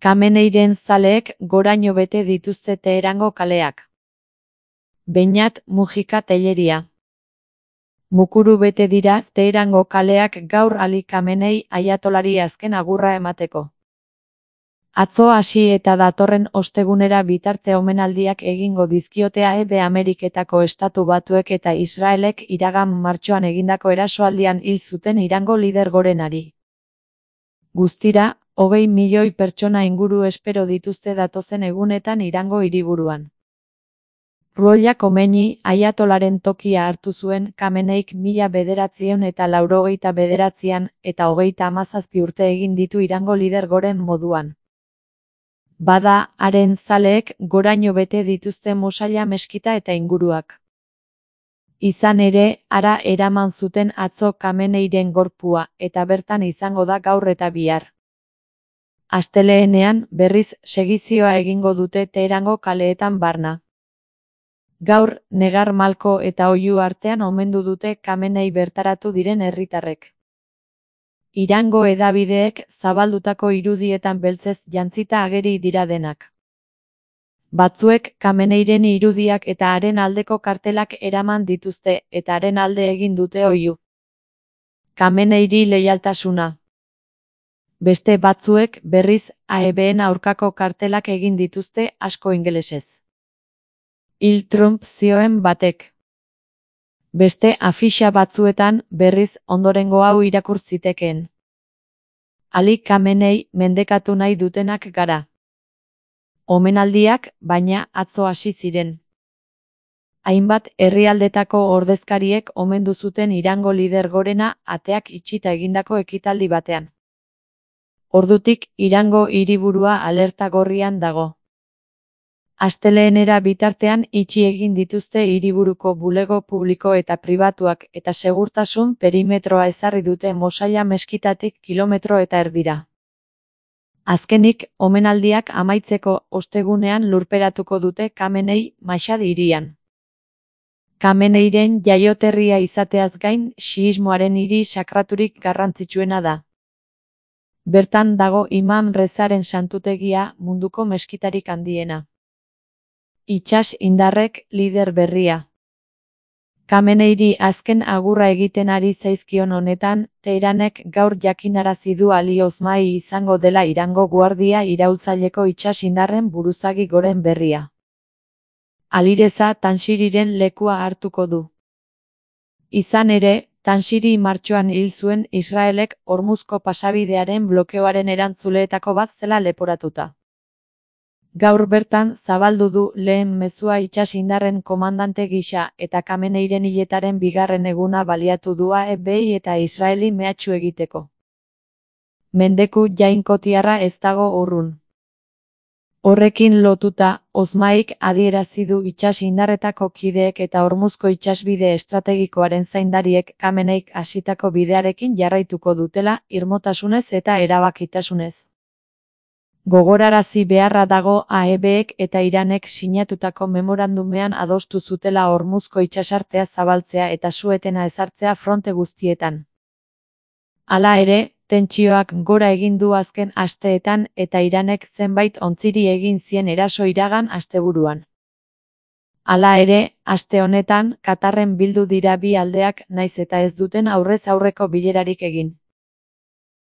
Khameneiren zaleek goraino bete dituzte Teherango kaleak. Beñat Mujika Telleria. Mukuru bete dira Teherango kaleak gaur Ali Khamenei aiatolari azken agurra emateko. Atzo hasi eta datorren ostegunera bitarte omenaldiak egingo dizkiote Ameriketako Estatu Batuek eta Israelek iragan martxoan egindako erasoaldian hil zuten Irango lider gorenari. Guztira, 20 milioi pertsona inguru espero dituzte datozen egunetan Irango hiriburuan. Ruhollah Khomeini aiatolaren tokia hartu zuen Khameneik 1989an eta 37 urte egin ditu Irango lider goren moduan. Bada, haren zaleek goraino bete dituzte Mosalla meskita eta inguruak. Izan ere, hara eraman zuten atzo Khameneiren gorpua, eta bertan izango da gaur eta bihar. Astelehenean, berriz, segizioa egingo dute Teherango kaleetan barna. Gaur, Negar Malko eta Oihu artean omendu dute Khamenei bertaratu diren herritarrek. Irango hedabideek zabaldutako irudietan beltzez jantzita ageri dira denak. Batzuek Khameneiren irudiak eta haren aldeko kartelak eraman dituzte eta haren alde egin dute Oihu. Khameneiri leialtasuna. Beste batzuek berriz AEBen aurkako kartelak egin dituzte asko ingelesez. Hil Trump zioen batek. Beste afixa batzuetan berriz ondorengo hau irakur zitekeen. Ali Khamenei mendekatu nahi dutenak gara. Omenaldiak, baina, atzo hasi ziren. Hainbat herrialdetako ordezkariek omendu zuten Irango lider gorena ateak itxita egindako ekitaldi batean. Ordutik Irango hiriburua alerta gorrian dago. Astelehenera bitartean itxi egin dituzte hiriburuko bulego publiko eta pribatuak eta segurtasun perimetroa ezarri dute Mosalla meskitatik kilometro eta erdira. Azkenik, omenaldiak amaitzeko ostegunean lurperatuko dute Khamenei Mashhad hirian. Khameneiren jaioterria izateaz gain, xiismoaren hiri sakraturik garrantzitsuena da. Bertan dago Imam Rezaren santutegia, munduko meskitarik handiena. Itsas indarrek lider berria. Khameneiri azken agurra egiten ari zaizkion honetan, Teheranek gaur jakinarazi du Ali Osmani izango dela Irango guardia iraultzaileko itsas indarren buruzagi goren berria. Alireza Tanshiriren lekua hartuko du. Izan ere, Tanshiri martxoan hil zuen Israelek Hormuzko pasabidearen blokeoaren erantzuleetako bat zela leporatuta. Gaur bertan zabaldu du lehen mezua itsas indarren komandante gisa eta Khameneiren hiletaren bigarren eguna baliatu du AEBi eta Israeli mehatxu egiteko. Mendeku jainkotiarra ez dago urrun. Horrekin lotuta, Osmanik adierazi du itsas indarretako kideek eta Hormuzko itsasbide estrategikoaren zaindariek Khameneik hasitako bidearekin jarraituko dutela irmotasunez eta erabakitasunez. Gogorarazi beharra dago AEBek eta Iranek sinatutako memorandumean adostu zutela Hormuzko itsasartea zabaltzea eta su-etena ezartzea fronte guztietan. Hala ere, tentsioak gora egin du azken asteetan eta Iranek zenbait ontziri egin zien eraso iragan asteburuan. Hala ere, aste honetan, Katarren bildu dira bi aldeak nahiz eta ez duten aurrez aurreko bilerarik egin.